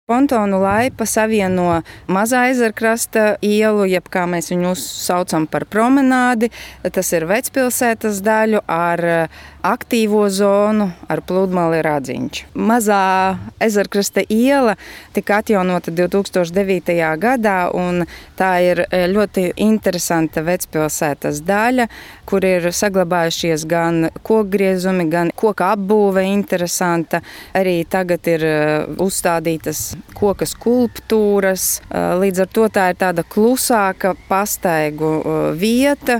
Pontonu laipa savieno Mazā ezerkrasta ielu, jeb kā mēs viņu saucam par promenādi. Tas ir Vecpilsētas daļu ar aktīvo zonu, ar pludmali Radziņš. Mazā ezerkrasta iela tika atjaunota 2009. gadā, un tā ir ļoti interesanta Vecpilsētas daļa, kur ir saglabājušies gan kokgriezumi, gan koka apbūve interesanta. Arī tagad ir uzstādītas koka skulptūras. Līdz ar to tā ir tāda klusāka pastaigu vieta.